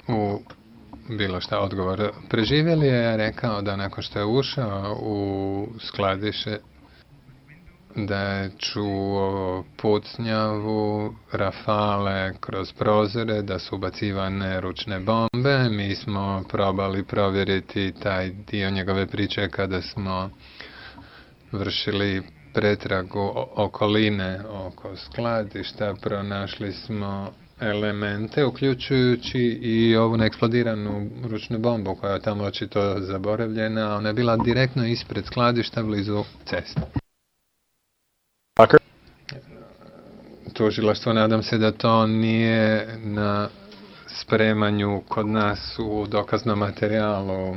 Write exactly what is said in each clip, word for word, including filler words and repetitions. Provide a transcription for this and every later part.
u bilo šta odgovor. Preživjeli je rekao da nakon što je ušao u skladište da je čuo pucnjavu, rafale kroz prozore, da su ubacivane ručne bombe. Mi smo probali provjeriti taj dio njegove priče kada smo vršili pretragu okoline oko skladišta. Pronašli smo elemente, uključujući i ovu neeksplodiranu ručnu bombu koja je tamo očito zaboravljena. Ona je bila direktno ispred skladišta blizu ceste. Tužilaštvo, nadam se da to nije na spremanju kod nas u dokaznom materijalu.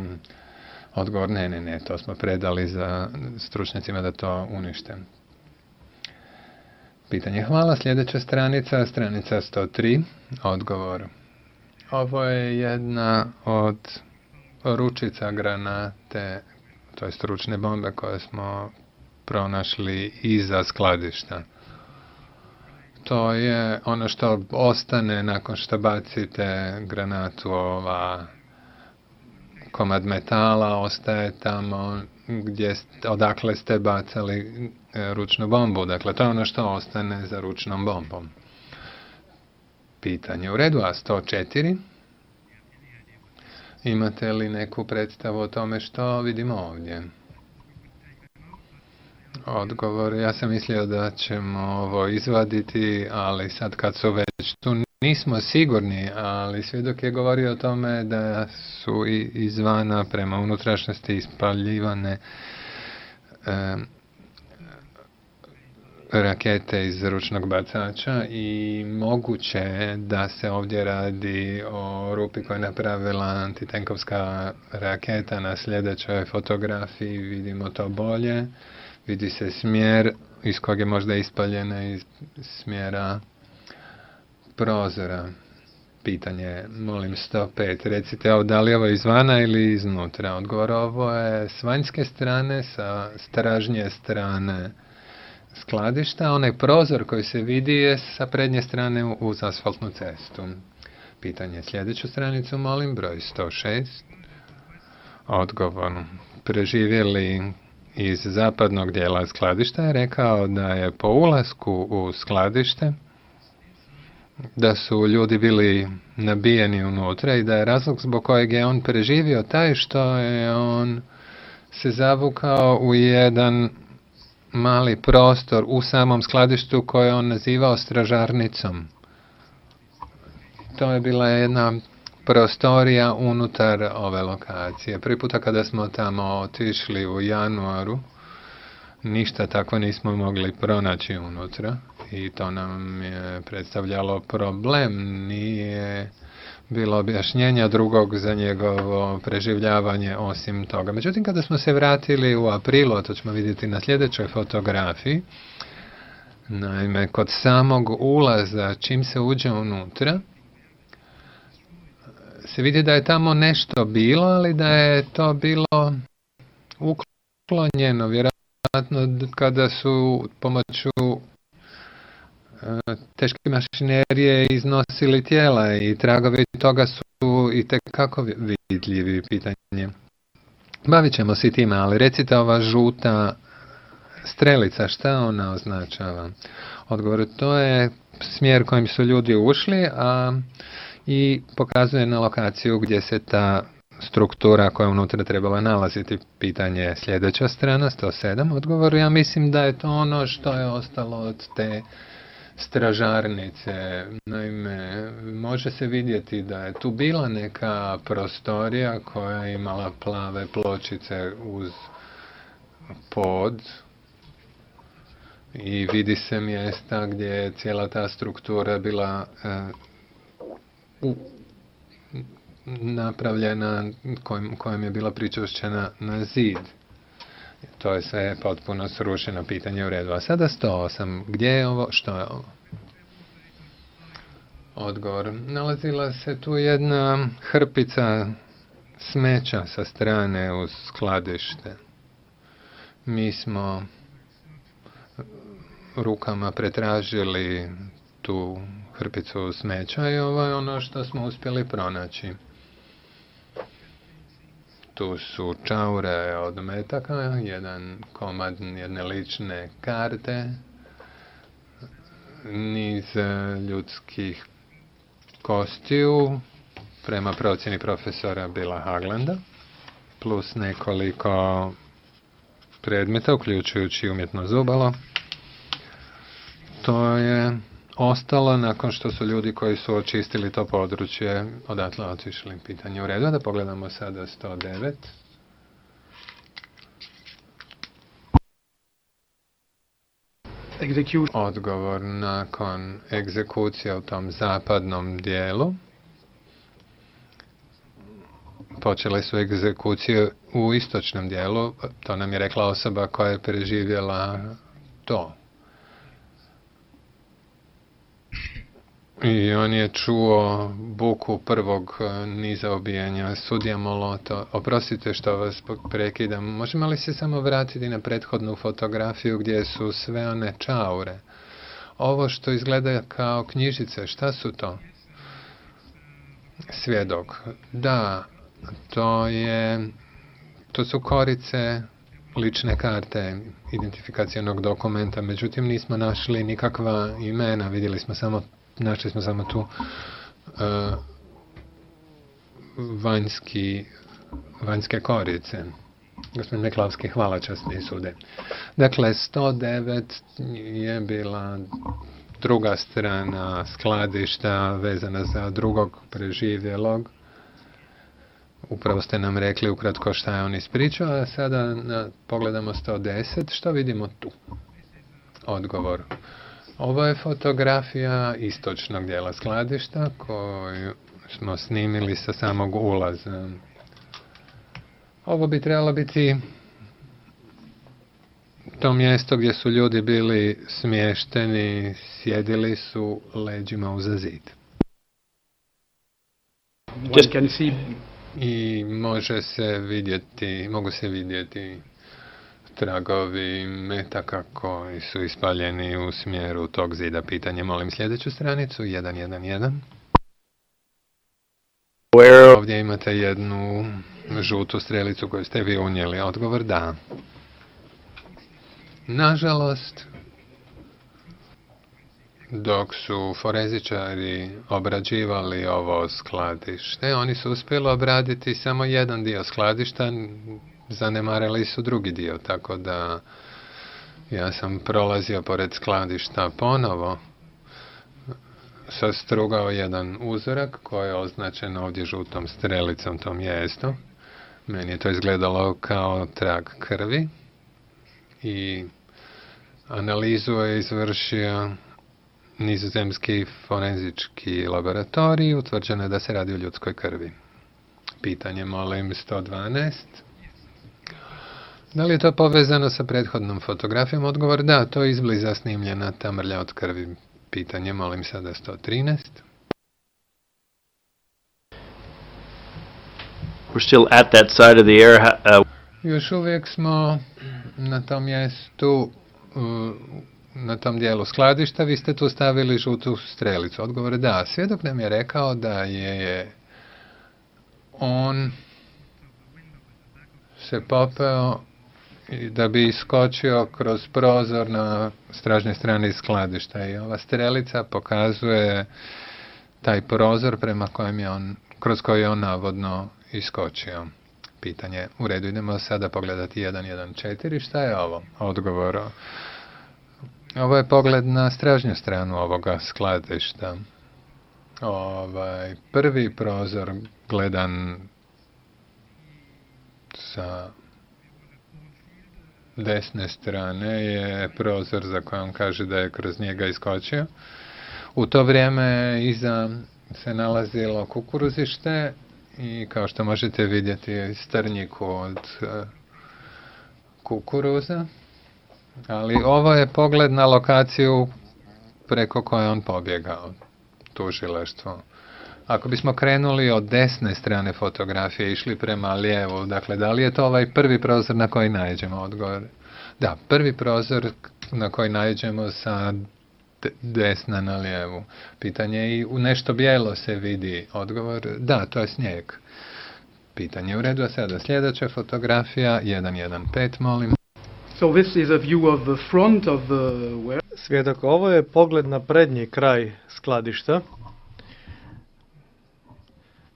Odgovor, ne, ne, ne, to smo predali za stručnjacima da to unište. Pitanje, hvala. Sljedeća stranica, stranica sto tri, odgovor. Ovo je jedna od ručica granate, to je ručne bombe koje smo pronašli iza skladišta. To je ono što ostane nakon što bacite granatu, ova komad metala ostaje tamo gdje, odakle ste bacali ručnu bombu. Dakle, to je ono što ostane za ručnom bombom. Pitanje u redu, a sto četiri. Imate li neku predstavu o tome što vidimo ovdje? Odgovor, ja sam mislio da ćemo ovo izvaditi, ali sad kad su već tu nismo sigurni, ali svjedok je govorio o tome da su izvana prema unutrašnjosti ispaljivane e, rakete iz ručnog bacača i moguće je da se ovdje radi o rupi koja je napravila antitenkovska raketa. Na sljedećoj fotografiji vidimo to bolje. Vidi se smjer iz kojeg je možda ispaljena iz smjera prozora. Pitanje, molim, sto pet. Recite, ovo, da li je ovo izvana ili iznutra? Odgovor, ovo je s vanjske strane, sa stražnje strane skladišta. Onaj prozor koji se vidi je sa prednje strane uz asfaltnu cestu. Pitanje, sljedeću stranicu, molim, broj sto šest. Odgovor, preživjeli iz zapadnog dijela skladišta je rekao da je po ulasku u skladište da su ljudi bili nabijeni unutra i da je razlog zbog kojeg je on preživio taj što je on se zavukao u jedan mali prostor u samom skladištu koje je on nazivao stražarnicom. To je bila jedna prostorija unutar ove lokacije. Prvi puta kada smo tamo otišli u januaru, ništa tako nismo mogli pronaći unutra i to nam je predstavljalo problem. Nije bilo objašnjenja drugog za njegovo preživljavanje osim toga. Međutim, kada smo se vratili u aprilu, a to ćemo vidjeti na sljedećoj fotografiji, naime, kod samog ulaza, čim se uđe unutra, se vidi da je tamo nešto bilo, ali da je to bilo uklonjeno, vjerojatno kada su pomoću teške mašinerije iznosili tijela i tragovi toga su i tekako vidljivi. Pitanje. Bavit ćemo se time, ali recite, ova žuta strelica, šta ona označava? Odgovor, to je smjer kojim su ljudi ušli, a i pokazuje na lokaciju gdje se ta struktura koja unutra trebala nalaziti. Pitanje, sljedeća strana, sto sedam. Odgovor, ja mislim da je to ono što je ostalo od te stražarnice. Naime, može se vidjeti da je tu bila neka prostorija koja je imala plave pločice uz pod i vidi se mjesta gdje je cijela ta struktura bila e, u, napravljena, kojim, kojim je bila pričušćena na zid. To je sve potpuno srušeno. Pitanje u redu. A sada sto osam. Gdje je ovo? Što je ovo? Odgovor. Nalazila se tu jedna hrpica smeća sa strane uz skladište. Mi smo rukama pretražili tu hrpicu smeća i ovo je ono što smo uspjeli pronaći. Tu su čaure od metaka, jedan komad jedne lične karte, niz ljudskih kostiju prema procjeni profesora Billa Haglanda, plus nekoliko predmeta, uključujući umjetno zubalo. To je ostalo nakon što su ljudi koji su očistili to područje odatle otišli. Pitanje u redu, da pogledamo sada sto devet. Odgovor nakon egzekucije u tom zapadnom dijelu. Počele su egzekucije u istočnom dijelu, to nam je rekla osoba koja je preživjela to. I on je čuo buku prvog niza ubijanja. Sudija Moloto, oprostite što vas prekidam, možemo li se samo vratiti na prethodnu fotografiju gdje su sve one čaure? Ovo što izgleda kao knjižice, šta su to? Svjedok. Da, to je, to su korice lične karte identifikacionog dokumenta, međutim nismo našli nikakva imena, vidjeli smo samo Našli smo samo tu uh, vanjski, vanjske korice. Gospodin Meklavski, hvala časni sude. Dakle, sto devet je bila druga strana skladišta vezana za drugog preživjelog. Upravo ste nam rekli ukratko šta je on ispričao, a sada na, pogledamo sto deset. Što vidimo tu? Odgovor. Ovo je fotografija istočnog dijela skladišta koju smo snimili sa samog ulaza. Ovo bi trebalo biti to mjesto gdje su ljudi bili smješteni, sjedili su leđima uza zid. I može se vidjeti, mogu se vidjeti tragovi metaka koji su ispaljeni u smjeru tog zida. Pitanje, molim sljedeću stranicu, jedan jedan jedan. Ovdje imate jednu žutu strelicu koju ste vi unijeli. Odgovor da. Nažalost, dok su forenzičari obrađivali ovo skladište, oni su uspjeli obraditi samo jedan dio skladišta, zanemarili su drugi dio, tako da ja sam prolazio pored skladišta ponovo, sastrugao jedan uzorak koji je označen ovdje žutom strelicom, to mjesto. Meni je to izgledalo kao trag krvi i analizu je izvršio nizozemski forenzički laboratorij, utvrđeno je da se radi o ljudskoj krvi. Pitanje, molim, sto dvanaest. Da li je to povezano sa prethodnom fotografijom? Odgovor da, to je izbliza snimljena ta mrlja od krvi. Pitanje, molim sada sto trinaest. We're still at that side of the air. Uh... Još uvijek smo na tom mjestu, na tom dijelu skladišta. Vi ste tu stavili žutu strelicu. Odgovor da. Svjedok nam je rekao da je on se popeo da bi iskočio kroz prozor na stražnoj strani skladišta i ova strelica pokazuje taj prozor prema kojem je on, kroz koji je on navodno iskočio. Pitanje, u redu, idemo sada pogledati jedan jedan četiri, šta je ovo? Odgovor, ovo je pogled na stražnju stranu ovoga skladišta. Ovaj prvi prozor gledan sa desne strane je prozor za koji on kaže da je kroz njega iskočio. U to vrijeme iza se nalazilo kukuruzište i kao što možete vidjeti strnjiku od uh, kukuruza. Ali ovo je pogled na lokaciju preko koje on pobjegao, tužilaštvo. Ako bismo krenuli od desne strane fotografije, išli prema lijevu, dakle, da li je to ovaj prvi prozor na koji naiđemo? Odgovor. Da, prvi prozor na koji naiđemo sa desna na lijevu. Pitanje je i u nešto bijelo se vidi. Odgovor, da, to je snijeg. Pitanje u redu, a sada sljedeća fotografija, jedan jedan pet, molim. So this is a view of the front of the ware. Svjedok, ovo je pogled na prednji kraj skladišta.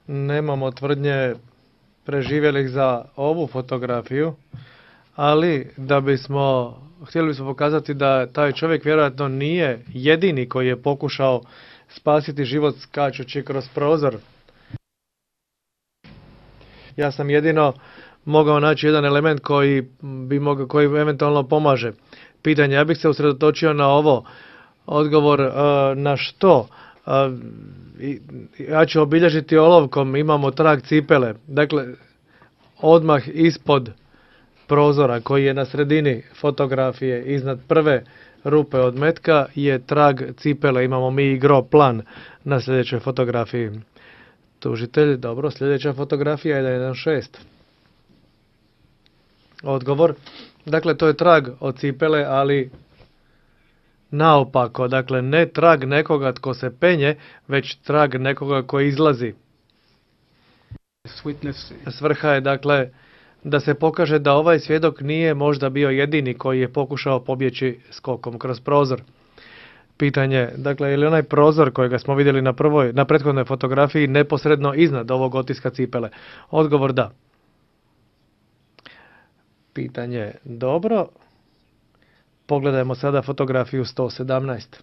Nemamo tvrdnje preživjelih za ovu fotografiju, ali da bismo, htjeli bismo pokazati da taj čovjek vjerojatno nije jedini koji je pokušao spasiti život skačući kroz prozor. Ja sam jedino mogao naći jedan element koji bi mogao, koji eventualno pomaže. Pitanje, ja bih se usredotočio na ovo. Odgovor uh, na što? Uh, ja ću obilježiti olovkom, imamo trag cipele. Dakle, odmah ispod prozora koji je na sredini fotografije, iznad prve rupe od metka, je trag cipele. Imamo mi i gro plan na sljedećoj fotografiji. Tužitelj, dobro, sljedeća fotografija je jedan jedan šest. Odgovor, dakle to je trag od cipele, ali naopako, dakle ne trag nekoga tko se penje, već trag nekoga koji izlazi. Svrha je dakle da se pokaže da ovaj svjedok nije možda bio jedini koji je pokušao pobjeći skokom kroz prozor. Pitanje, dakle, je li onaj prozor kojega smo vidjeli na prvoj, na prethodnoj fotografiji neposredno iznad ovog otiska cipele? Odgovor da. Pitanje, dobro. Pogledajmo sada fotografiju sto sedamnaest.